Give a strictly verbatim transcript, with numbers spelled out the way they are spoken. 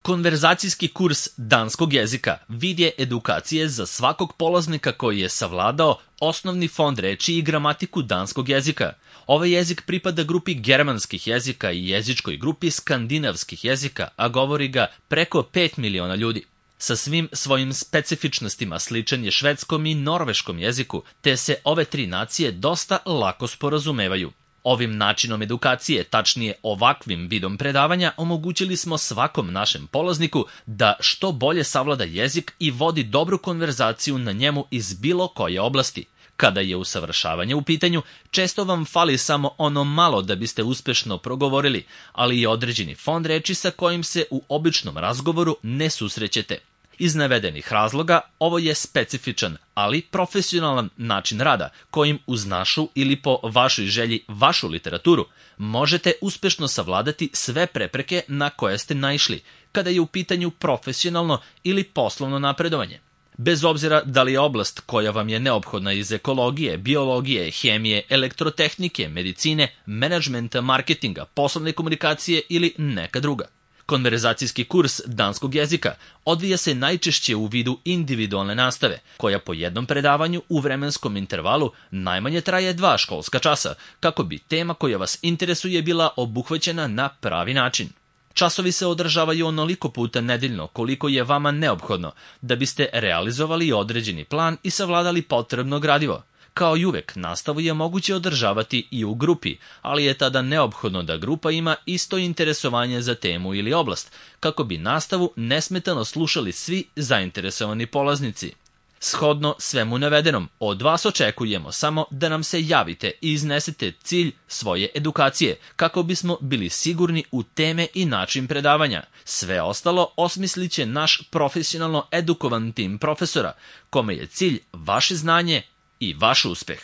Konverzacijski kurs danskog jezika vid je edukacije za svakog polaznika koji je savladao osnovni fond reči i gramatiku danskog jezika. Ovaj jezik pripada grupi germanskih jezika i jezičkoj grupi skandinavskih jezika, a govori ga preko pet miliona ljudi. Sa svim svojim specifičnostima sličan je švedskom i norveškom jeziku, te se ove tri nacije dosta lako sporazumevaju. Ovim načinom edukacije, tačnije ovakvim vidom predavanja, omogućili smo svakom našem polazniku da što bolje savlada jezik i vodi dobru konverzaciju na njemu iz bilo koje oblasti. Kada je usavršavanje u pitanju, često vam fali samo ono malo da biste uspešno progovorili, ali i određeni fond reči sa kojim se u običnom razgovoru ne susrećete. Iz navedenih razloga ovo je specifičan, ali profesionalan način rada kojim uz našu ili po vašoj želji vašu literaturu možete uspešno savladati sve prepreke na koje ste naišli kada je u pitanju profesionalno ili poslovno napredovanje. Bez obzira da li je oblast koja vam je neophodna iz ekologije, biologije, hemije, elektrotehnike, medicine, menadžmenta, marketinga, poslovne komunikacije ili neka druga. Konverzacijski kurs danskog jezika odvija se najčešće u vidu individualne nastave, koja po jednom predavanju u vremenskom intervalu najmanje traje dva školska časa, kako bi tema koja vas interesuje bila obuhvaćena na pravi način. Časovi se održavaju onoliko puta nedeljno koliko je vama neophodno da biste realizovali određeni plan i savladali potrebno gradivo. Kao i uvek, nastavu je moguće održavati i u grupi, ali je tada neophodno da grupa ima isto interesovanje za temu ili oblast, kako bi nastavu nesmetano slušali svi zainteresovani polaznici. Shodno svemu navedenom, od vas očekujemo samo da nam se javite i iznesete cilj svoje edukacije, kako bismo bili sigurni u teme i način predavanja. Sve ostalo osmislit će naš profesionalno edukovan tim profesora, kome je cilj vaše znanje i vaš uspeh.